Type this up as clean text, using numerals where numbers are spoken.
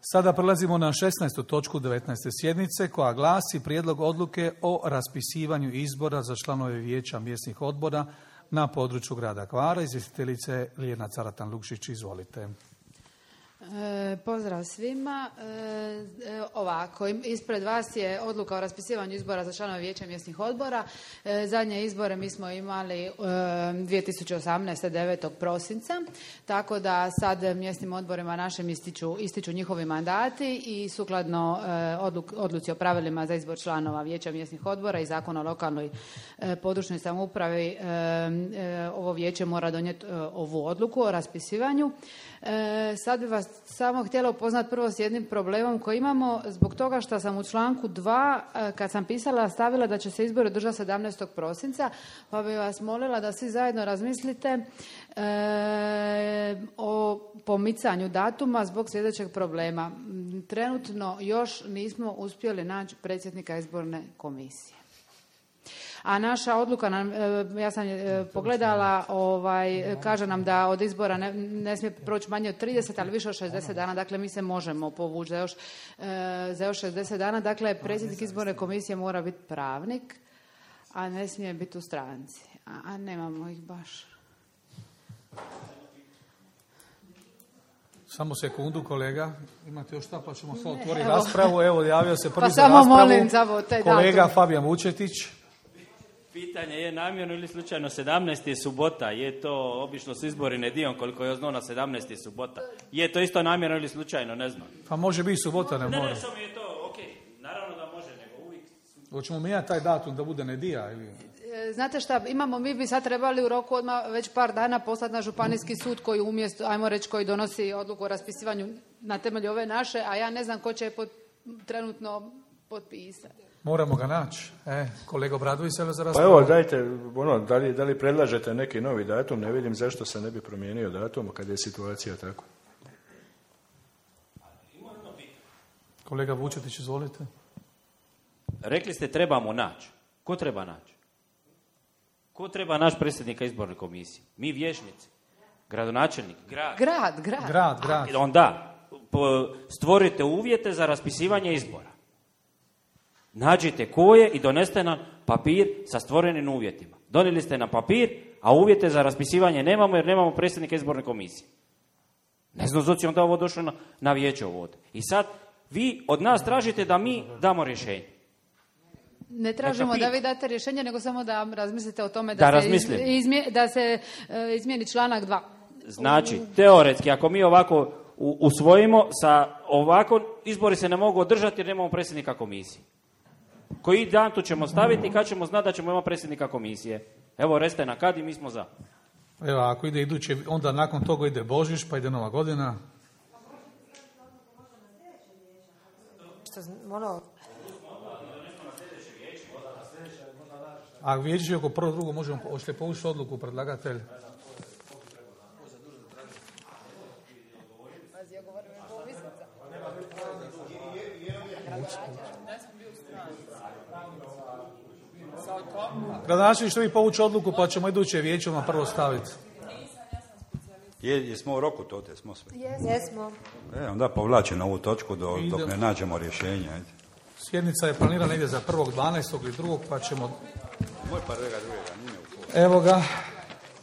Sada prelazimo na 16. točku 19. sjednice koja glasi Prijedlog odluke o raspisivanju izbora za članove vijeća mjesnih odbora na području grada Hvara. Izvjestiteljice Ljiljana Caratan-Lukšić, izvolite. Pozdrav svima. Ovako, ispred vas je odluka o raspisivanju izbora za članove vijeća mjesnih odbora. Zadnje izbore mi smo imali 2018. 9. prosinca, tako da sad mjesnim odborima našim ističu njihovi mandati i sukladno odluci o pravilima za izbor članova vijeća mjesnih odbora i Zakona o lokalnoj područnoj samoupravi, ovo vijeće mora donijeti ovu odluku o raspisivanju. Sad bi vas samo htjela upoznati prvo s jednim problemom koji imamo zbog toga što sam u članku 2 kad sam pisala stavila da će se izbori održati 17. prosinca, pa bi vas molila da svi zajedno razmislite o pomicanju datuma zbog sljedećeg problema. Trenutno još nismo uspjeli naći predsjednika izborne komisije. A naša odluka, ja sam pogledala, kaže nam da od izbora ne smije proći manje od 30, ali više od 60 dana. Dakle, mi se možemo povući za još 60 dana. Dakle, predsjednik izborne komisije mora biti pravnik, a ne smije biti u stranci. A nemamo ih baš. Samo sekundu, kolega. Imate još šta, pa ćemo sad otvoriti raspravu. Evo, javio se prvi pa za raspravu. Molim za kolega datum. Fabijan Vučetić. Pitanje je namjerno ili slučajno 17. je subota, je to obično s izbori nedijom koliko je znao na 17. je subota. Je to isto namjerno ili slučajno, ne znam. Pa može biti subota, ne mora. Ne, samo je to, ok, naravno da može, nego uvijek. Hoćemo mijenjati taj datum da bude nedija ili... Znate šta, mi bi sad trebali u roku odmah već par dana poslati na županijski sud koji umjesto, ajmo reći, koji donosi odluku o raspisivanju na temelju ove naše, a ja ne znam ko će je trenutno potpisati. Moramo ga naći. Kolega Obradović se za raspravu. Pa evo, dajte, da li predlažete neki novi datum, ne vidim zašto se ne bi promijenio datum kada je situacija tako. Kolega Vučetić, izvolite. Rekli ste trebamo naći. Ko treba naći? Ko treba naći predsjednika izborne komisije? Mi vijećnici? Gradonačelnik? Grad. Onda stvorite uvjete za raspisivanje izbora. Nađite koje i doneste nam papir sa stvorenim uvjetima. Donijeli ste na papir, a uvjete za raspisivanje nemamo jer nemamo predsjednika izborne komisije. Ne znam zašto je onda ovo došlo na vijeće ovdje. I sad vi od nas tražite da mi damo rješenje. Ne tražimo da vi date rješenje, nego samo da razmislite o tome da se izmijeni članak 2. Znači, teoretski, ako mi ovako usvojimo, sa ovako izbori se ne mogu održati jer nemamo predsjednika komisije. Koji dan tu ćemo staviti i kad ćemo znati da ćemo imati predsjednika komisije? Evo, recite na kad i mi smo za. Evo, ako ide iduće, onda nakon toga ide Božić, pa ide Nova godina. A vijeće oko prvo drugo možemo, hoćete povući odluku predlagatelj? Gradonačelnik, što vi povući odluku pa ćemo iduće vijeće vam prvo staviti. Jesmo u roku to, smo sve. Jesmo. Onda povlačimo ovu točku dok ne nađemo rješenje. Sjednica je planirana ide za 1.12. ili 2. pa ćemo... Moj pa druga, nije u Evo ga.